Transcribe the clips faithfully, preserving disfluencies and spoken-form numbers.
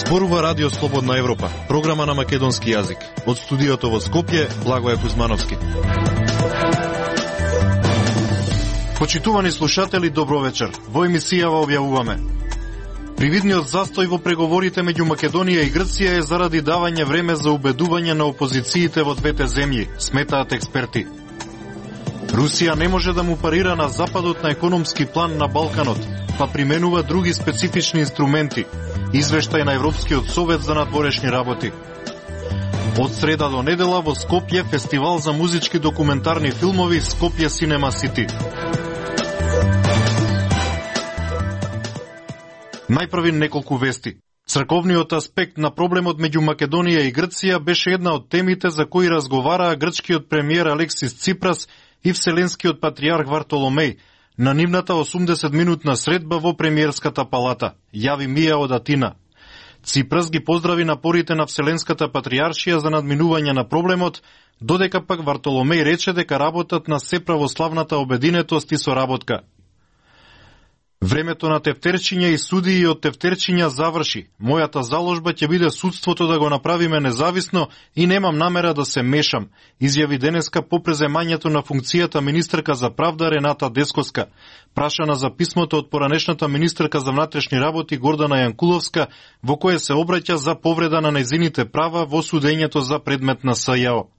Зборува Радио Слободна Европа, програма на македонски јазик. Од студиото во Скопје, Благоје Кузмановски. Почитувани слушатели, добро вечер. Во емисијава објавуваме: привидниот застој во преговорите меѓу Македонија и Грција е заради давање време за убедување на опозициите во двете земји, сметаат експерти. Русија не може да му парира на Западот на економски план на Балканот, па применува други специфични инструменти. Извештај на Европскиот совет за надворешни работи. Од среда до недела во Скопје фестивал за музички документарни филмови Скопје Синема Сити. Најпрви неколку вести. Црковниот аспект на проблемот меѓу Македонија и Грција беше една од темите за кои разговараа грчкиот премиер Алексис Ципрас и вселенскиот патриарх Вартоломеј на нивната осумдесет минутна средба во премиерската палата, јави Мија од Атина. Ципрас ги поздрави напорите на Вселенската патриаршија за надминување на проблемот, додека пак Вартоломеј рече дека работат на сеправославната обединетост и соработка. Времето на тефтерчиња и судии од тефтерчиња заврши. Мојата заложба ќе биде судството да го направиме независно и немам намера да се мешам, изјави денеска по преземањето на функцијата министерка за правда Рената Дескоска, прашана за писмото од поранешната министерка за внатрешни работи Гордана Јанкуловска, во кое се обраќа за повреда на нејзините права во судењето за предмет на СЈО.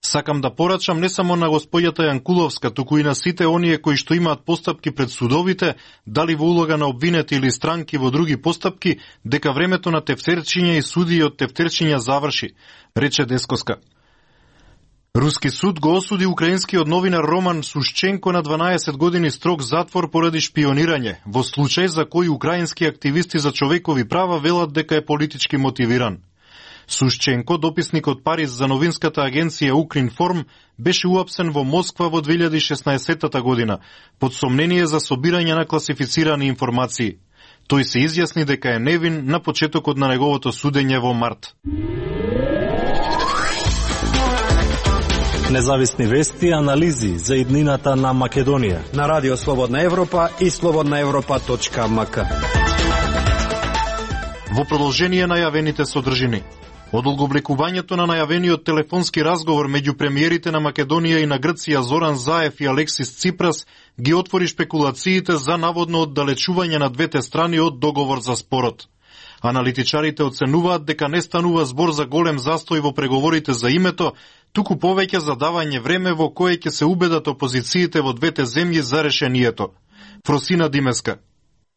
Сакам да порачам не само на господјата Јанкуловска, туку и на сите оние кои што имаат постапки пред судовите, дали во улога на обвинети или странки во други постапки, дека времето на тефтерчиња и судии од тефтерчиња заврши, рече Дескоска. Руски суд го осуди украинскиот новинар Роман Сушченко на дванаесет години строг затвор поради шпионирање, во случај за кој украински активисти за човекови права велат дека е политички мотивиран. Сушченко, дописник од Париз за новинската агенција Укринформ, беше уапсен во Москва во две илјади и шеснаесетта година, под сомнение за собирање на класифицирани информации. Тој се изјасни дека е невин на почетокот на неговото судење во март. Независни вести и анализи за иднината на Македонија на Радио Слободна Европа и слободна европа точка ем ка. Во продолжение на јавените содржини. Одолговлекувањето на најавениот телефонски разговор меѓу премиерите на Македонија и на Грција Зоран Заев и Алексис Ципрас ги отвори шпекулациите за наводно оддалечување на двете страни од договор за спорот. Аналитичарите оценуваат дека не станува збор за голем застој во преговорите за името, туку повеќе за давање време во кое ќе се убедат опозициите во двете земји за решението. Фросина Димеска.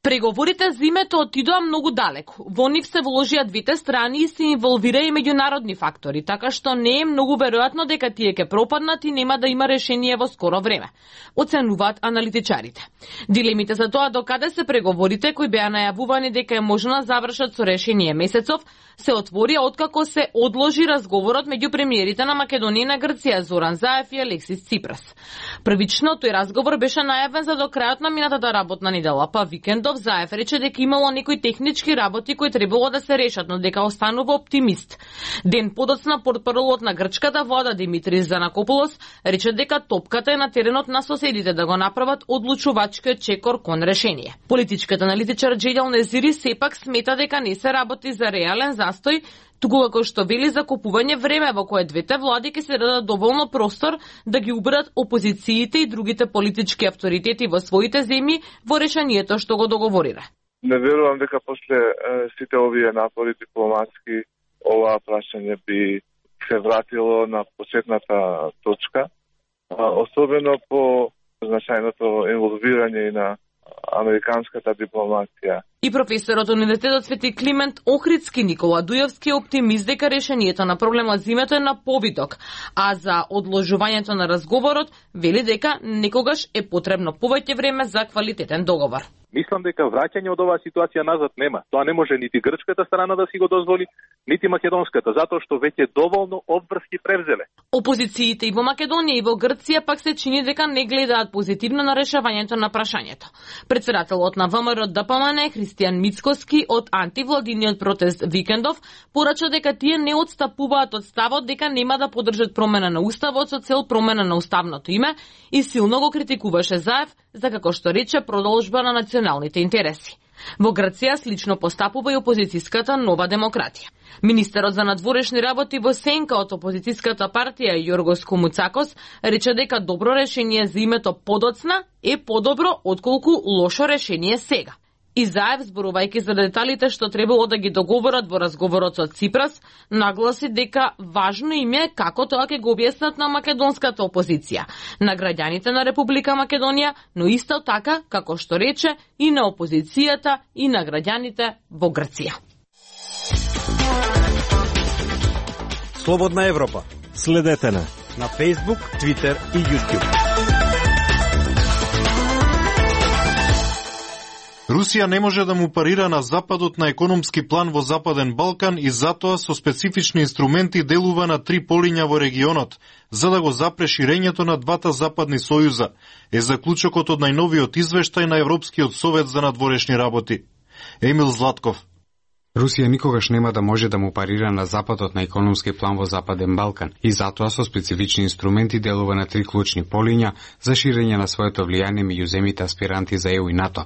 Преговорите за името отидоа многу далеку. Во нив се вложија двете страни и се инволвира и меѓународни фактори, така што не е многу веројатно дека тие ќе пропаднат и нема да има решение во скоро време, оценуваат аналитичарите. Дилемите за тоа докаде се преговорите, кои беа најавувани дека е можно да завршат со решение месецов, се отворија откако се одложи разговорот меѓу премиерите на Македонија и на Грција Зоран Заев и Алексис Ципрас. Првично тој разговор беше најавен за до крајот на минатата работна недела, па викендов Заев рече дека имало некои технички работи кои требало да се решат, но дека останува оптимист. Ден подоцна портпаролот на грчката влада Димитрис Занакополос рече дека топката е на теренот на соседите да го направат одлучувачкиот чекор кон решение. Политичката аналитичар Джејдел Незири сепак смета дека не се работи за реален застој, туку како што вели за купување време во кое двете влади ќе се дадат доволно простор да ги убедат опозициите и другите политички авторитети во своите земји во решението што го договорира. Не верувам дека после сите овие напори дипломатски ова прашање би се вратило на почетната точка, особено по значајното инволвирање и на американската дипломација. И професорот од Универзитетот Свети Климент Охридски Никола Дујовски е оптимист дека решението на проблемот за името е на повиток, а за одложувањето на разговорот вели дека некогаш е потребно повеќе време за квалитетен договор. Мислам дека враќање од оваа ситуација назад нема. Тоа не може нити грчката страна да си го дозволи, нити македонската, затоа што веќе доволно обврски превзеле. Опозициите и во Македонија и во Грција пак се чини дека не гледаат позитивно на решавањето на прашањето. Председателот на ВМРО Д П М Н Христијан Мицкоски од антивладиниот протест викендов порача дека тие не отстапуваат од ставот дека нема да поддржат промена на уставот со цел промена на уставното име и силно го критикуваше Заев за, како што рече, продолжба на националните интереси. Во Грција слично постапува и опозицијската Нова демократија. Министерот за надворешни работи во сенка од опозицијската партија Јоргос Комуцакос рече дека добро решение за името подоцна е подобро отколку лошо решение сега. Изаев, зборувајќи за деталите што требало да ги договорат во разговорот со Ципрас, нагласи дека важно им е како тоа ќе го објаснат на македонската опозиција, на граѓаните на Република Македонија, но исто така, како што рече, и на опозицијата и на граѓаните во Грција. Слободна Европа. Следете на на Facebook, Twitter и YouTube. Русија не може да му парира на Западот на економски план во Западен Балкан и затоа со специфични инструменти делува на три полиња во регионот, за да го запре ширењето на двата западни сојуза, е заклучокот од најновиот извештај на Европскиот совет за надворешни работи. Емил Златков. Русија никогаш нема да може да му парира на Западот на економски план во Западен Балкан и затоа со специфични инструменти делува на три клучни полиња за ширење на своето влијание меѓу земите аспиранти за Е У и НАТО,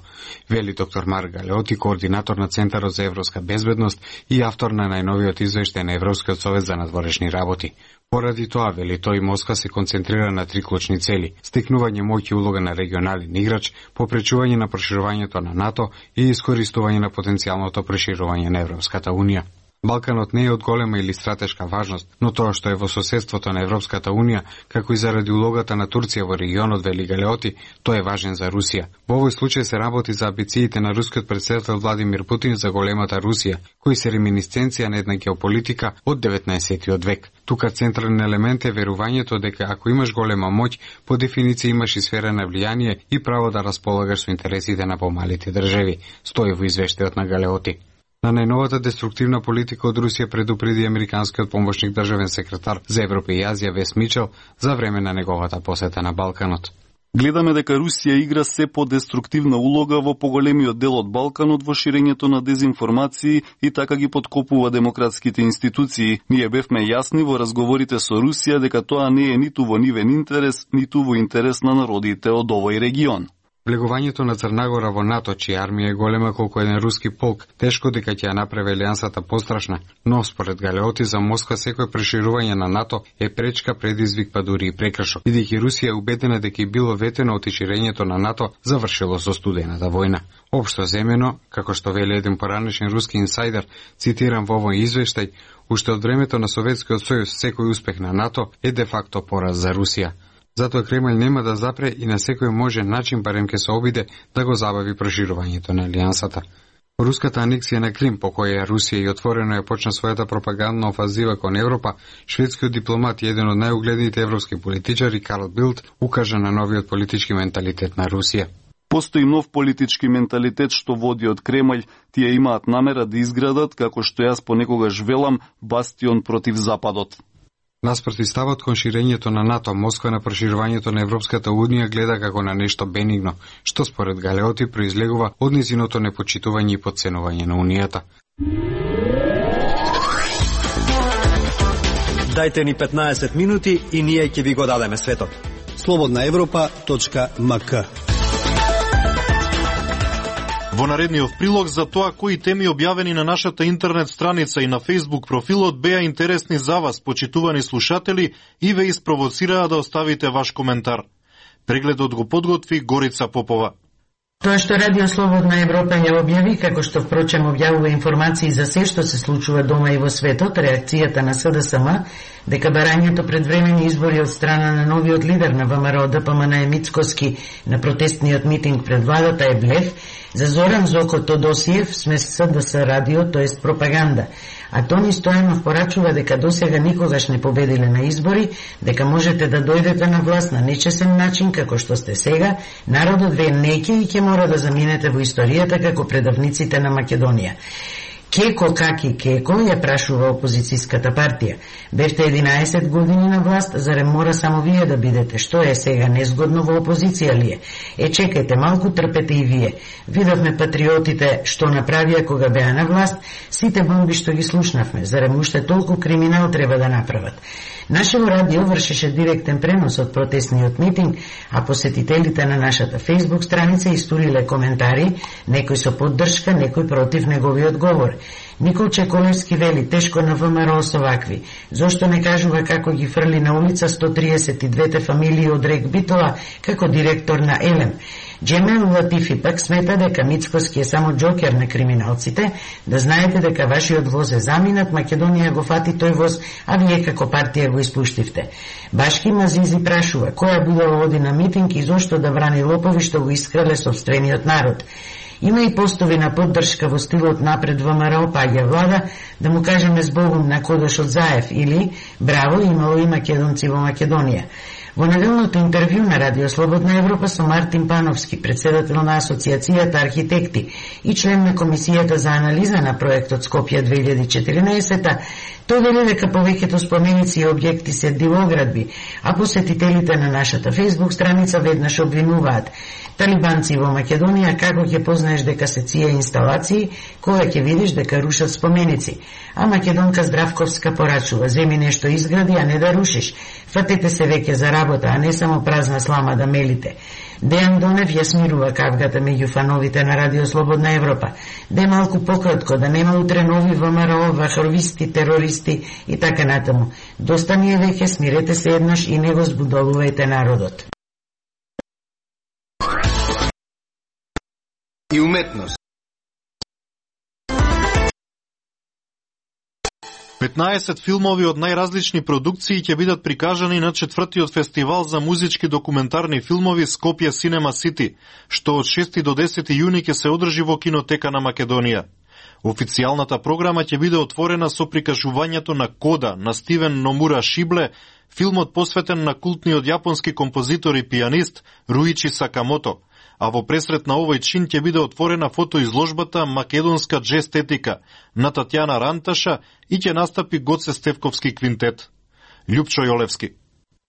вели доктор Марк Галеоти, координатор на Центарот за европска безбедност и автор на најновиот извештај на Европскиот совет за надворешни работи. Поради тоа, вели тој, Москва се концентрира на три клучни цели: стекнување моќ и улога на регионален играч, попречување на проширувањето на НАТО и искористување на потенцијалното проширување на Европската Унија. Балканот не е од голема или стратешка важност, но тоа што е во соседството на Европската Унија, како и заради улогата на Турција во регионот, вели Галеоти, тој е важен за Русија. Во овој случај се работи за амбициите на рускиот претседател Владимир Путин за големата Русија, кои се реминисценција на една геополитика од деветнаесеттиот век. Тука централен елемент е верувањето дека ако имаш голема моќ, по дефиниција имаш и сфера на влијание и право да располагаш со интересите на помалите држави, стои во извештајот на Галеоти. На најновата деструктивна политика од Русија предупреди американскиот помошник државен секретар за Европа и Азија Вес Мичел за време на неговата посета на Балканот. Гледаме дека Русија игра се по-деструктивна улога во поголемиот дел од Балканот во ширењето на дезинформации и така ги подкопува демократските институции. Ние бевме јасни во разговорите со Русија дека тоа не е ниту во нивен интерес, ниту во интерес на народите од овој регион. Влегувањето на Црнагора во НАТО, чија армија е голема колку еден руски полк, тешко дека ќе ја направи алијансата пострашна, но според Галеоти за Москва секој проширување на НАТО е пречка, предизвик, па дури и прекршок, бидејќи Русија е убедена дека и било ветено од ширењето на НАТО завршило со студената војна. Општо земено, како што вели еден поранешен руски инсайдер, цитирам во овој извештај, уште од времето на Советскиот сојуз секој успех на НАТО е де факто пораз за Русија. Затоа Кремљ нема да запре и на секој можен начин барем ќе се обиде да го забави проширувањето на алијансата. Руската анексија на Крим, по која Русија и отворено ја почна својата пропагандна офанзива кон Европа, шведскиот дипломат и еден од најугледните европски политичари Карл Билд укажа на новиот политички менталитет на Русија. Постои нов политички менталитет што води од Кремљ, тие имаат намера да изградат, како што јас понекогаш велам, бастион против Западот. Наспроти ставот кон ширењето на НАТО, Москва на проширувањето на Европската Унија гледа како на нешто бенигно, што според Галеоти произлегува од низиното непочитување и потценување на Унијата. Дајте ни петнаесет минути и ние ќе ви го дадеме светот. слободна европа точка ем ка. Во наредниот прилог за тоа кои теми објавени на нашата интернет страница и на Facebook профилот беа интересни за вас, почитувани слушатели, и ве испровоцираа да оставите ваш коментар. Прегледот го подготви Горица Попова. Тоа што Радио Слободна Европа ја објави, како што впрочем објавува информации за се што се случува дома и во светот, реакцијата на С Д С М, дека барањето пред времени избори од страна на новиот лидер на В М Р О Д П М Н Мицкоски на протестниот митинг пред владата е блеф, за Зоран Зоко Тодосиев сме С Д С радио, тоест пропаганда. А Тони Стојанов порачува дека досега никогаш не победиле на избори, дека можете да дојдете на власт на нечесен начин како што сте сега, народот ве неќе и ќе мора да заминете во историјата како предавниците на Македонија. Кеко каки кеко, ја прашува опозицијската партија. Бевте единаесет години на власт, зарем мора само вие да бидете? Што е сега незгодно во опозиција ли е? Е, чекајте, малку трпете и вие. Видовме патриотите што направија кога беа на власт, сите бомби што ги слушнавме, зарем уште толку криминал треба да направат. Нашево радио вршеше директен пренос од протестниот митинг, а посетителите на нашата Facebook страница истуриле коментари, некој со поддршка, некој против неговиот говор. Никол Чеколевски вели, тешко на ВМРО со вакви. Зошто не кажува како ги фрли на улица сто триесет и две фамилии од Рек Битола како директор на Елем. Джемел Латифи пак смета дека Мицкоски е само джокер на криминалците, да знаете дека вашиот воз е заминат, Македонија го фати тој воз, а вие како партија го испуштивте. Башки Мазизи прашува, која будала оди на митинг и зошто да брани лопови што го искрале собствениот народ. Има и постови на поддршка во стилот напред ВМРО паѓа влада, да му кажеме збогум на Кодош од Заев или браво, имало и македонци во Македонија. Во неделното интервју на Радио Слободна Европа со Мартин Пановски, председател на Асоциацијата архитекти и член на Комисијата за анализа на проектот Скопје две илјади и четиринаесета, тој вели дека повеќето споменици и објекти се дивоградби, а посетителите на нашата Facebook страница веднаш обвинуваат талибанци во Македонија, како ќе познаеш дека се ција инсталации, кога ќе видиш дека рушат споменици. А македонка Здравковска порачува, земи нешто изгради, а не да рушиш. Фатете се веќе за работа, а не само празна слама да мелите. Дејан Донев ја смирува кавгата меѓу фановите на Радио Слободна Европа. Де малку пократко, да нема утре нови ВМРО, вахровисти, терористи и така натаму. Доста ни е веќе, смирете се еднаш и не го збудолувајте народот. И уметност. петнаесет филмови од најразлични продукции ќе бидат прикажани на четвртиот фестивал за музички документарни филмови Скопје Cinema City, што од шести до десети јуни ќе се одржи во Кинотека на Македонија. Официјалната програма ќе биде отворена со прикажувањето на Кода на Стивен Номура Шибле, филмот посветен на култниот јапонски композитор и пианист Руичи Сакамото, а во пресрет на овој чин ќе биде отворена фотоизложбата Македонска джестетика на Татјана Ранташа и ќе настапи Гоце Стевковски квинтет. Љупчо Јолевски.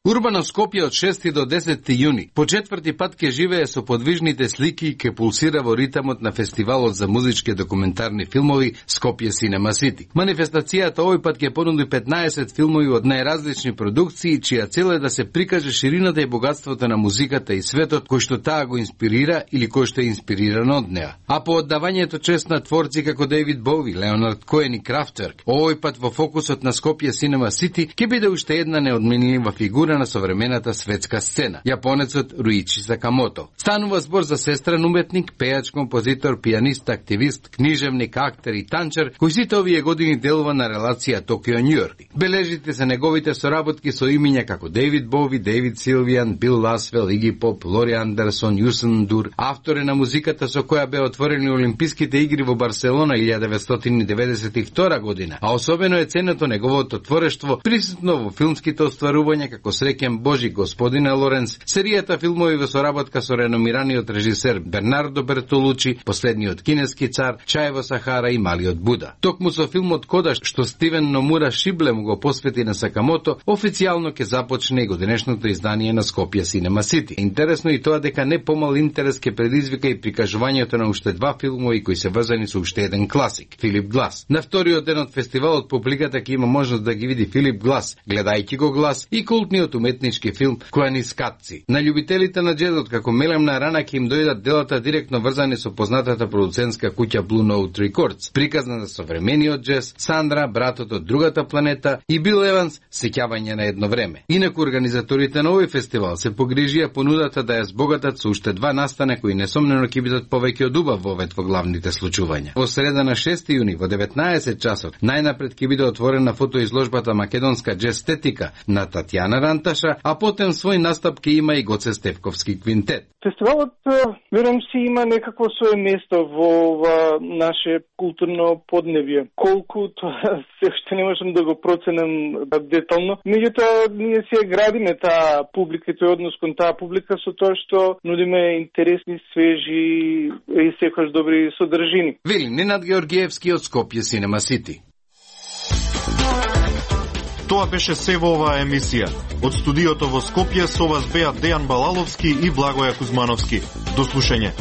Урбано Скопје од шести до десети јуни по четврти пат ќе живее со подвижните слики и ќе пулсира во ритамот на фестивалот за музички документарни филмови Скопје Cinema City. Манифестацијата овој пат ќе понуди петнаесет филмови од најразлични продукции, чија цел е да се прикаже ширината и богатството на музиката и светот кој што таа го инспирира или кој што е инспириран од неа. А по оддавањето чест на творци како Дејвид Боуи, Леонард Коен и Крафтверк, овој пат во фокусот на Скопје Cinema City ќе биде уште една неодменлива фигура на современата светска сцена, јапонецот Руичи Сакамото. Станува збор за сестран уметник, пејач, композитор, пианист, активист, книжевник, актер и танчар, кој сите овие години делува на релација Токио-Њујорк. Бележите се неговите соработки со имиња како Дејвид Боуи, Дејвид Силвијан, Бил Ласвел, Иги Поп, Лори Андерсон, Јусен Дур, автор е на музиката со која беа отворени Олимписките игри во Барселона илјадесетстотини деветдесет и втора година, а особено е ценето неговото творештво присутно во филмските остварувања како Среќен Божи, Господине Лоренц, серијата филмови во соработка со реномираниот режисер Бернардо Бертолучи, Последниот кинески цар, Чај во Сахара и Малиот Буда. Токму со филмот Кода, што Стивен Номура Шибле му го посвети на Сакамото, официјално ќе започне и годинешното издание на Скопје Cinema City. Интересно и тоа дека не помал интерес ќе предизвика и прикажувањето на уште два филмови кои се врзани со уште еден класик, Филип Глас. На вториот ден од фестивалот публиката ќе има можност да ги види Филип Глас, гледајќи го Глас, и култниот уметнички филм Којанискатци. На љубителите на джезот како мелемна рана ќе им дојдат делата директно врзани со познатата продуцентска куќа Blue Note Records, приказна за современиот джез, Сандра, братот од другата планета и Бил Еванс, сеќавање на едно време. Инаку организаторите на овој фестивал се погрижија понудата да ја збогатат со уште два настана кои несомнено ќе бидат повеќе од убав вовет во главните случувања. Во среда на шести јуни во деветнаесет часот најнапред ќе биде отворена фотоизложбата Македонска джестетика на Татјана Ранташа Анташа, а потем свој настап ќе има и Гоце Стефковски квинтет. Фестивалот, верам си, има некакво свое место во ова наше културно подневие. Колку тоа се уште не можам да го проценам детално. Меѓутоа, ние си градиме таа публика и тој однос кон таа публика со тоа што нудиме интересни, свежи и секогаш добри содржини. Вели Ненад Георгиевски од Скопје Cinema City. Тоа беше се во оваа емисија. Од студиото во Скопје со вас беа Дејан Балаловски и Благоја Кузмановски. До слушање.